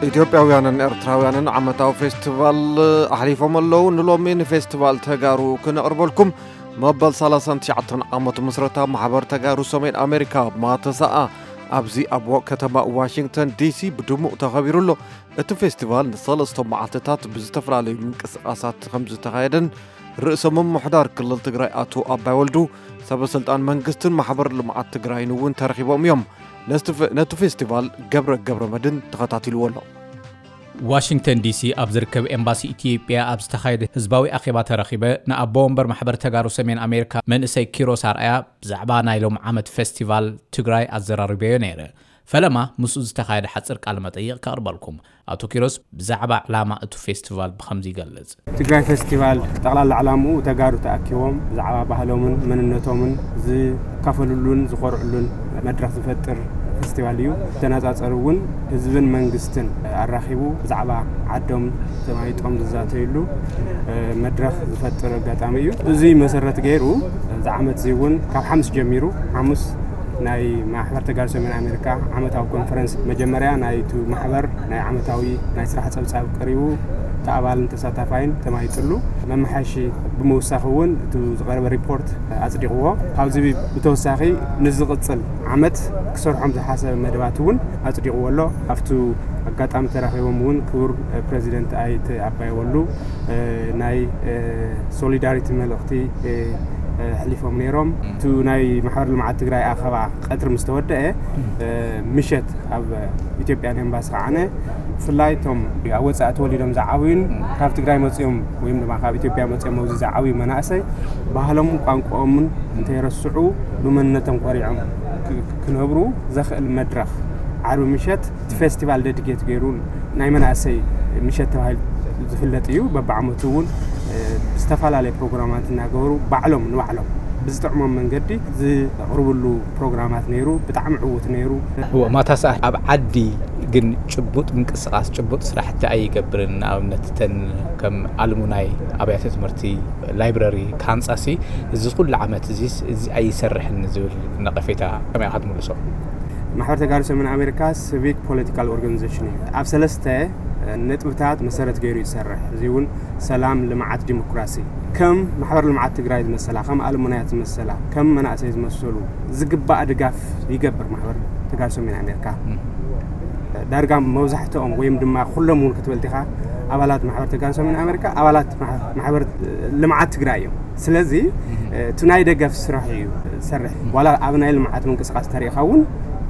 ኢትዮጵያውያንን ኤርትራውያንን ዓመታዊ ፌስቲቫል ኣሕሊፎም ኣለዉ። ንሎሚ ንፌስቲቫል ተጋሩ ክነቕርበልኩም፣ መበል ሰላሳን ትሽዓተን ዓመቱ ምስረታ ማሕበር ተጋሩ ሰሜን ኣሜሪካ ማተሰኣ ኣብዚ ኣብ ከተማ ዋሽንግተን ዲሲ ብድሙቕ ተኸቢሩ ኣሎ። እቲ ፌስቲቫል ንሰለስተ መዓልትታት ብዝተፈላለዩ ምንቅስቓሳት ከም ዝተኻየደን ርእሰ ምምሕዳር ክልል ትግራይ ኣቶ ኣባይ ወልዱ፣ ሰበ ስልጣን መንግስትን ማሕበር ልምዓት ትግራይን እውን ተረኺቦም እዮም። ነቲ ፌ-፣ ነቲ ፌስቲቫል ገብረ ገብረ መድን ተኸታቲልዎ ኣሎ። ዋሽንግተን ዲሲ ኣብ ዝርከብ ኤምባሲ ኢትዮጵያ ኣብ ዝተኻየደ ህዝባዊ ኣኼባ ተረኺበ ንኣቦ ወንበር ማሕበር ተጋሩ ሰሜን ኣሜሪካ መንእሰይ ኪሮስ ኣርኣያ ብዛዕባ ናይ ሎም ዓመት ፌስቲቫል ትግራይ ኣዘራሪበዮ ነይረ። ፈለማ ምስኡ ዝተኻየደ ሓፂር ቃለ መጠይቕ ከቕርበልኩም። ኣቶ ኪሮስ ብዛዕባ ዕላማ እቲ ፌስቲቫል ብኸምዚ ይገልጽ። ትግራይ ፌስቲቫል ጠቕላላ ዕላምኡ ተጋሩ ተኣኪቦም ብዛዕባ ባህሎምን መንነቶምን ዝካፈልሉን ዝኾርዕሉን መድረኽ ዝፈጥር ፌስቲቫል እዩ። ተነጻጸሪ እውን ህዝብን መንግስትን ኣራኺቡ ብዛዕባ ዓዶም ተማይጦም ዝዛተይሉ፣ እ፣ መድረኽ ዝፈጥር ኣጋጣሚ እዩ። እዚ መሰረት ገይሩ እዚ ዓመት እዚ እውን ካብ ሓሙስ ጀሚሩ፣ ሓሙስ ናይ ማሕበር ተጋሩ ሰሜን ኣሜሪካ ዓመታዊ ኮንፈረንስ መጀመርያ ናይቲ ማሕበር ናይ ዓመታዊ ናይ ስራሕ ጸብጻብ ቀሪቡ እቲ ኣባልን ተሳታፋይን ተማይጥሉ መመሓየሺ ብምውሳኽ እውን እቲ ዝቐረበ ሪፖርት ኣጽዲቕዎ። ካብዚ ብተወሳኺ ንዝቕጽል ዓመት ክሰርሖም ዝሓሰበ መደባት እውን ኣጽዲቕዎ ኣሎ። ኣብቲ ኣጋጣሚ ተራኺቦም እውን ክቡር ፕሬዚደንት ኣይተ ኣባይ ወልዱ ናይ ሶሊዳሪቲ መልእኽቲ ኣሕሊፎም ነይሮም። እቲ ናይ ማሕበር ልምዓት ትግራይ ኣኸባ ቀትሪ ምስ ተወደአ፣ ምሸት ኣብ ኢትዮጵያን ኤምባሲ ከዓነ ብፍላይ እቶም ኣብ ወፃኢ ተወሊዶም ዝዓብዩን ካብ ትግራይ መፅኦም ወይም ድማ ካብ ኢትዮጵያ መፅኦም ኣብዚ ዝዓብዩ መናእሰይ ባህሎምን ቋንቋኦምን እንተይረስዑ ብመንነቶም ኮሪዖም ክ-፣ ክነብሩ ዘኽእል መድረኽ ዓርቢ ምሸት እቲ ፌስቲቫል ደድጌት ገይሩ ናይ መናእሰይ ምሸት ተባሂሉ ዝፍለጥ እዩ። በብዓመቱ እውን፣ እ፣ ዝተፈላለየ ፕሮግራማት እናገበሩ ባዕሎም ንባዕሎም ብዝጥዕሞም መንገዲ ዝቕርብሉ ፕሮግራማት ነይሩ። ብጣዕሚ ዕዉት ነይሩ። እወ፣ ማታ ሰዓት ኣብ ዓዲ ግን ጭቡጥ ምንቅስቓስ፣ ጭቡጥ ስራሕቲ ኣይገብርን። ንኣብነት እተን ከም ኣልሙናይ ኣብያተ ትምህርቲ፣ ላይብረሪ ክሃንጻሲ እዚ ኩሉ ዓመት እዚስ እዚ ኣይሰርሕን ዝብል ነቐፌታ ከመይ ኢኻ ትምልሶ? ማሕበር ተጋሩ ሰሜን ኣሜሪካ ሲቪክ ፖለቲካል ኦርጋኒዜሽን እዩ። ኣብ ሰለስተ ነጥብታት መሰረት ገይሩ ይሰርሕ። እዚ እውን ሰላም፣ ልምዓት፣ ዲሞክራሲ። ከም ማሕበር ልምዓት ትግራይ ዝመሰላ፣ ከም ኣልሙናያት ዝመሰላ፣ ከም መናእሰይ ዝመሰሉ ዝግባእ ድጋፍ ይገብር ማሕበር ተጋሩ ሰሜን ኣሜሪካ። ም። ዳርጋ መብዛሕትኦም ወይም ድማ ኩሎም እውን ክትበልት ኢኻ ኣባላት ማሕበር ተጋሩ ሰሜን ኣሜሪካ ኣባላት ማሕ-፣ ማሕበር ልምዓት ትግራይ እዮም። ስለዚ፣ ም። እቲ ናይ ደገፍ ስራሕ እዩ ዝሰርሕ። ዋላ ኣብ ናይ ልምዓት ምንቅስቃስ ተሪእኻ እውን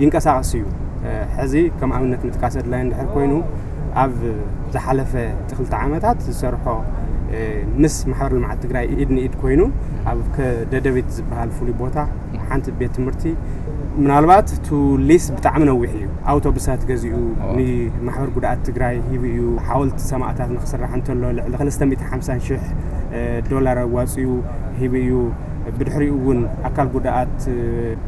ይንቀሳቐስ እዩ። ሕዚ ከም ኣብነት ምጥቃስ ኣድላይ እንድሕር ኮይኑ፣ ኣብ ዝሓለፈ ክልተ ዓመታት ዝሰርሖ፣ ምስ ማሕበር ልምዓት ትግራይ ኢድ ንኢድ ኮይኑ ኣብ ከ-፣ ደደቢት ዝበሃል ፍሉይ ቦታ ሓንቲ ቤት ትምህርቲ ምናልባት እቲ ሊስ ብጣዕሚ ነዊሕ እዩ። ኣውቶቡሳት ገዚኡ ኦ። ንማሕበር ጉድኣት ትግራይ ሂቡ እዩ። ሓወልቲ ሰማእታት ንክስራሕ እንተሎ ልዕሊ ክልተ ሚእቲ ሓምሳን ሽሕ ዶላር ኣዋፅኡ ሂቡ እዩ። ብድሕሪኡ እውን ኣካል ጉድኣት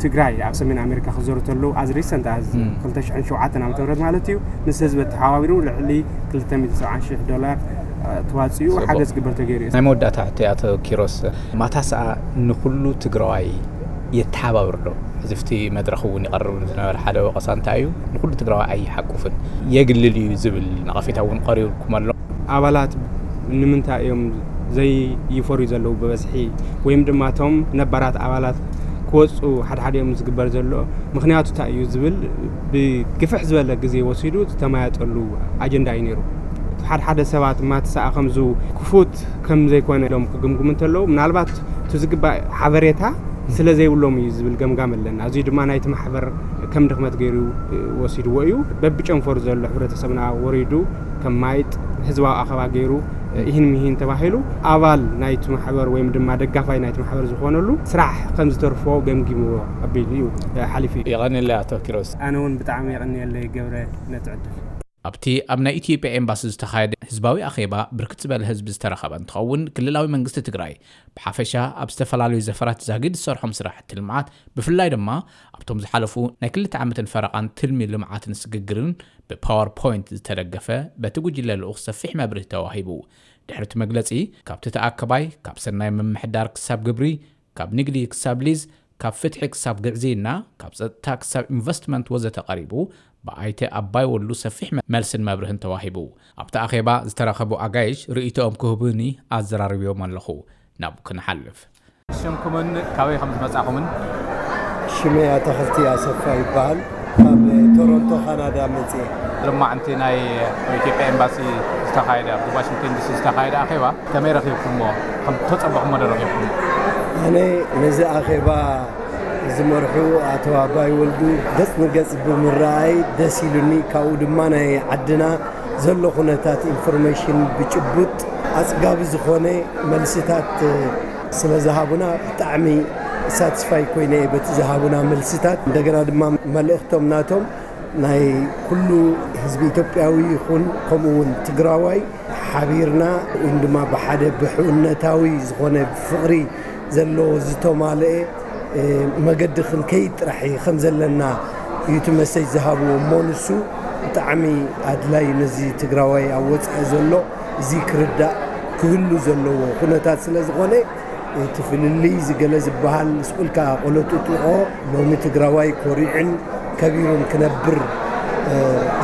ትግራይ ኣብ ሰሜን ኣሜሪካ ክዘሩ ተለዉ፣ as recent as ም። ክልተ ሽሕን ሸውዓተን ዓመተ ምህረት ማለት እዩ፣ ምስ ህዝቢ ተሓባቢሩ ልዕሊ ክልተ ሚእቲ ሰብዓን ሽሕ ዶላር፣ እ፣ ተዋፂኡ ጽቡቕ። ሓገዝ ክግበር ተገይሩ እዩ። ናይ መወዳእታ ሕቶ ኣቶ ኪሮስ፣ ማታስኣ ንኹሉ ትግራዋይ የተሓባብር ዶ? ሕዚ ኣብቲ መድረኽ እውን ይቐርብ ዝነበረ ሓደ ወቐሳ እንታይ እዩ? ንኹሉ ትግራዋይ ኣይሓቁፍን፣ የግልል እዩ ዝብል ነቐፌታ እውን ቀሪብኩም ኣሎ። ኣባላት ንምንታይ እዮም ዘይፈርዩ ዘለዉ ብበዝሒ? ወይም ድማ እቶም ነባራት ኣባላት ክወፁ ሓድሓዲኦም ዝግበር ዘሎ ምኽንያቱ እንታይ እዩ ዝብል ብግፍሕ ዝበለ ግዜ ወሲዱ ዝተመያየጠሉ ኣጀንዳ እዩ ነይሩ። ሓድሓደ ሰባት ማትሳኣ ከምዚ ክፉት ከም ዘይኮነ ኢሎም ክግምግሙ እንተለዉ፣ ምናልባት እቲ ዝግባእ ሓበሬታ ስለ ዘይብሎም እዩ ዝብል ገምጋም ኣለና። እዚ ድማ ናይቲ ማሕበር ከም ድኽመት ገይሩ ወሲድዎ እዩ። በብጨንፈሩ ዘሎ ሕብረተሰብና ወሪዱ ከም ማይጥ ህዝባዊ ኣኸባ ገይሩ፣ ኢሂን ሚሂን ተባሂሉ ኣባል ናይቲ ማሕበር ወይም ድማ ደጋፋይ ናይቲ ማሕበር ዝኾነሉ ስራሕ ከም ዝተርፎ ገምጊምዎ ኣቢሉ እዩ ሓሊፉ እዩ። የቐንየለይ ኣቶ ኪሮስ። ኣነ እውን ብጣዕሚ የቐንየለይ ገብረ ነቲ ዕድል። ኣብቲ ኣብ ናይ ኢትዮጵያ ኤምባሲ ዝተኻየደ ህዝባዊ ኣኼባ ብርክት ዝበለ ህዝቢ ዝተረኸበ እንትኸውን፣ ክልላዊ መንግስቲ ትግራይ ብሓፈሻ ኣብ ዝተፈላለዩ ዘፈራት ዛጊድ ዝሰርሖም ስራሕቲ ልምዓት፣ ብፍላይ ድማ ኣብቶም ዝሓለፉ ናይ ክልተ ዓመትን ፈረቓን ትልሚ ልምዓትን ስግግርን ብፓወር ፖይንት ዝተደገፈ በቲ ጉጅለ ልኡኽ ሰፊሕ መብርሂ ተዋሂቡ። ድሕሪ እቲ መግለጺ፣ ካብቲ ተኣከባይ፣ ካብ ሰናይ ምምሕዳር ክሳብ ግብሪ፣ ካብ ንግዲ ክሳብ ሊዝ፣ ካብ ፍትሒ ክሳብ ግዕዝይና፣ ካብ ጸጥታ ክሳብ ኢንቨስትመንት ወዘተ ቀሪቡ፣ ብኣይተ ኣባይ ወሉ ሰፊሕ መ-፣ መልስን መብርህን ተዋሂቡ። ኣብቲ ኣኼባ ዝተረኸቡ ኣጋይሽ ርእይቶኦም ክህቡኒ ኣዘራሪብዮም ኣለኹ። ናብ ክንሓልፍ። ሽምኩምን ካበይ ከም ዝመጻኹምን? ሽመይ ኣታኽልቲ ኣሰፋ ይበሃል። ካብ ቶሮንቶ ካናዳ መጽየ። ሎማዕንቲ ናይ ኢትዮጵያ ኤምባሲ ዝተኻየደ፣ ኣብ ዋሽንግተን ዲሲ ዝተኻየደ ኣኼባ ከመይ ረኺብኩሞ? ከም ተጸበኹሞ ዶ ረኺብኩሞ? ኣነ ነዚ ኣኼባ ዝመርሑ ኣቶ ኣባይ ወልዱ ገጽ ንገጽ ብምረኣይ ደስ ኢሉኒ። ካብኡ ድማ ናይ ዓድና ዘሎ ኩነታት ኢንፎርሜሽን ብጭቡጥ ኣጽጋቢ ዝኾነ መልስታት ስለ ዝሃቡና ብጣዕሚ ሳትስፋይ ኮይነ እየ በቲ ዝሃቡና መልስታት። እንደገና ድማ መልእኽቶም ናቶም ናይ ኩሉ ህዝቢ ኢትዮጵያዊ ይኹን ከምኡ እውን ትግራዋይ ሓቢርና እውን ድማ ብሓደ ብሕውነታዊ ዝኾነ ፍቕሪ ዘለዎ ዝተማልአ፣ እ፣ መገዲ ክንከይድ ጥራሕ እዩ ከም ዘለና እዩ እቲ መሰጅ ዝሃብዎ። እሞ ንሱ ብጣዕሚ ኣድላይ ነዚ ትግራዋይ ኣብ ወፃኢ ዘሎ እዚ ክርዳእ ክህሉ ዘለዎ ኩነታት ስለ ዝኾነ እቲ ፍልልይ ዝገለ ዝበሃል ስቕ ኢልካ ቆሎ ጥጥቖ ሎሚ ትግራዋይ ኮሪዕን ከቢሩን ክነብር፣ እ፣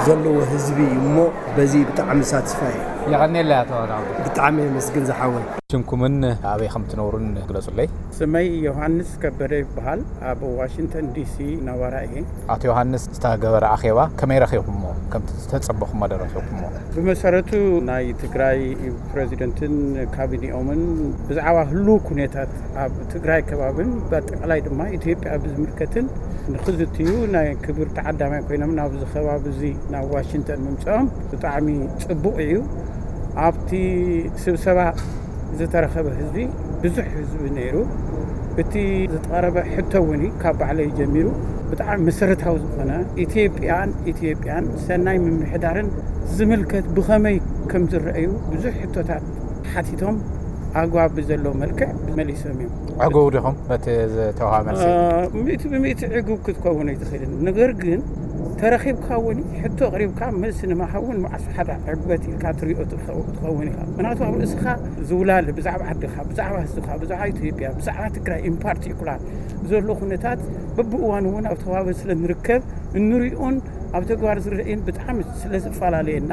ዘለዎ ህዝቢ እዩ። እሞ በዚ ብጣዕሚ ሳትስፋይ እየ። የቐንየለይ ኣቶ ናውዲ። ብጣዕሚ የመስግን ዝሓወይ። ሽምኩምን ኣበይ ከም ትነብሩን ግለጹለይ። ስመይ ዮሃንስ ከበደ ይበሃል። ኣብ ዋሽንግተን ዲሲ ነባራ እየ። ኣቶ ዮሃንስ፣ ዝተገበረ ኣኼባ ከመይ ረኺብኩሞ? ከምቲ ዝተጸበኹሞ ዶ ረኺብኩሞ? ብመሰረቱ ናይ ትግራይ ፕሬዚደንትን ካቢኔኦምን ብዛዕባ ህሉው ኩነታት ኣብ ትግራይ ከባብን ብኣጠቃላይ ድማ ኢትዮጵያ ብዝምልከትን ንክዝትዩ ናይ ክብር ተዓዳማይ ኮይኖም ናብዚ ከባቢ እዚ ናብ ዋሽንግተን ምምፅኦም ብጣዕሚ ጽቡቕ እዩ። ኣብቲ ስብሰባ ዝተረኸበ ህዝቢ ብዙሕ ህዝቢ ነይሩ። እቲ ዝቀረበ ሕቶ እውን እዩ፣ ካብ ባዕለይ ጀሚሩ ብጣዕሚ መሰረታዊ ዝኾነ ኢትዮጵያን ኢትዮጵያን ሰናይ ምምሕዳርን ዝምልከት ብኸመይ ከም ዝረኣዩ ብዙሕ ሕቶታት ሓቲቶም ኣግባብ ብዘለዎ መልክዕ መሊሶም እዮም። ዕጉብ ዲኹም በቲ ዝተውሃበ መልሲ? እ፣ ሚእቲ ብሚእቲ ዕጉብ ክትከውን ኣይትኽእልን። ነገር ግን ተረኺብካ እውን ሕቶ ኣቕሪብካ መልሲ ንምሃብ እውን መዓስ ሓደ ዕግበት ኢልካ ትሪኦ ትኸው-፣ ትኸውን ኢኻ። ምክንያቱ ኣብ ርእስኻ ዝውላል ብዛዕባ ዓድኻ፣ ብዛዕባ ህዝብኻ፣ ብዛዕባ ኢትዮጵያ፣ ብዛዕባ ትግራይ ኢን ፓርቲኩላር ዘሎ ኩነታት በብእዋኑ እውን ኣብ ተዋበ ስለ ንርከብ እንሪኦን ኣብ ተግባር ዝረአን ብጣዕሚ ስለ ዝፈላለየና፣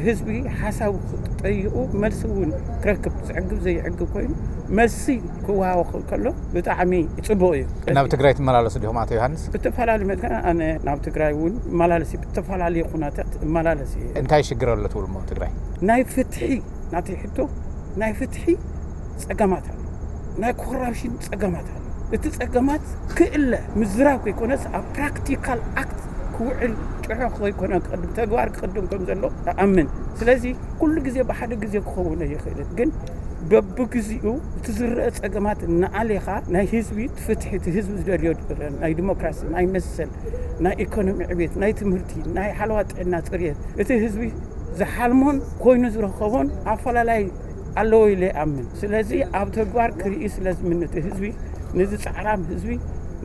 ህዝቢ ሓሳቡ ጠይቑ መልሲ እውን ክረክብ፣ ዝዕግብ ዘይዕግብ ኮይኑ መልሲ ክወሃቦ ከሎ ብጣዕሚ ጽቡቕ እዩ። ናብ ትግራይ ትመላለሱ ዲኹም ኣቶ ዮሃንስ? ብተፈላለዩ መድከ-፣ ኣነ ናብ ትግራይ እውን እመላለስ እየ፣ ብተፈላለየ ኩነታት እመላለስ እየ። እንታይ ሽግር ኣሎ ትብሉ እሞ ትግራይ? ናይ ፍትሒ፣ ናተይ ሕቶ ናይ ፍትሒ ጸገማት ኣሎ፣ ናይ ኮራፕሽን ጸገማት ኣሎ። እቲ ጸገማት ክእለ ምዝራብ ከይኮነስ ኣብ ፕራክቲካል ኣክት ክውዕል ጥዑቕ ከይኮነ ክቕድም፣ ተግባር ክቕድም ከም ዘሎ እኣምን። ስለዚ ኩሉ ግዜ ብሓደ ግዜ ክኸውን ኣይኽእልን፣ ግን በብግዚኡ እቲ ዝረአ ጸገማት እናኣሌኻ ናይ ህዝቢ ፍትሒ፣ እቲ ህዝቢ ዝደልዮ ናይ ዲሞክራሲ፣ ናይ መሰል፣ ናይ ኢኮኖሚ ዕቤት፣ ናይ ትምህርቲ፣ ናይ ሓለዋ ጥዕና፣ ጽርየት፣ እቲ ህዝቢ ዝሓልሞን ኮይኑ ዝረኸቦን ኣፈላላይ ኣለዎ ኢለ ይኣምን። ስለዚ ኣብ ተግባር ክርኢ ስለ ዝምንት ህዝቢ፣ ነዚ ጻዕራም ህዝቢ፣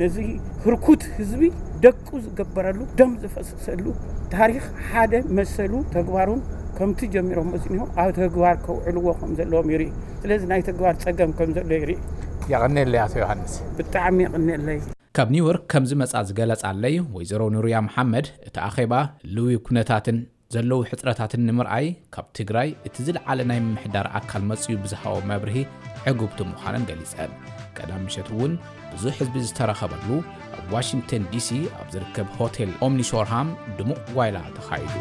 ነዚ ህርኩት ህዝቢ ደቁ ዝገበረሉ፣ ደም ዝፈሰሰሉ ታሪኽ ሓደ መሰሉ ተግባሩን ከምቲ ጀሚሮም መጽኒሆም ኣብ ተግባር ከውዕልዎ ከም ዘለዎም ይርኢ። ስለዚ ናይ ተግባር ጸገም ከም ዘሎ ይርኢ። የቐንየለይ ኣቶ ዮሃንስ። ብጣዕሚ የቐንየለይ። ካብ ኒውዮርክ ከም ዝመጻ ዝገለጻለይ ወይዘሮ ኑርያ መሓመድ፣ እቲ ኣኼባ ልውይ ኩነታትን ዘለዉ ሕጽረታትን ንምርኣይ ካብ ትግራይ እቲ ዝለዓለ ናይ ምምሕዳር ኣካል መጺኡ ብዝሃቦ መብርሂ ዕጉብቲ ምዃነን ገሊጸን። ቀዳም ምሸት እውን ብዙሕ ህዝቢ ዝተረኸበሉ ኣብ ዋሽንግተን ዲሲ ኣብ ዝርከብ ሆቴል ኦምኒሾርሃም ድሙቕ ጓይላ ተኻይዱ።